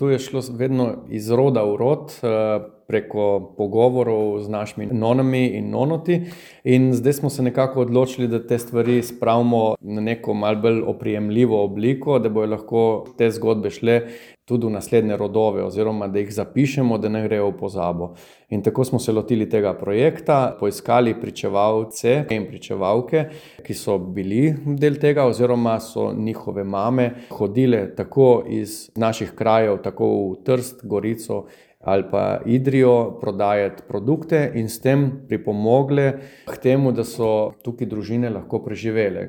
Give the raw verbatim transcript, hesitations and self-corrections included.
To je šlo vedno iz roda v rod, preko pogovorov z našimi nonami in nonoti. In zdaj smo se nekako odločili, da te stvari spravimo na neko malo bolj oprijemljivo obliko, da bojo lahko te zgodbe šle tudi v naslednje rodove oziroma da jih zapišemo, da ne grejo v pozabo. In tako smo se lotili tega projekta, poiskali pričevalce in pričevalke, ki so bili del tega oziroma so njihove mame hodile tako iz naših krajev, tako v Trst, Gorico ali pa Idrijo prodajati produkte in s tem pripomogle k temu, da so tukaj družine lahko preživele.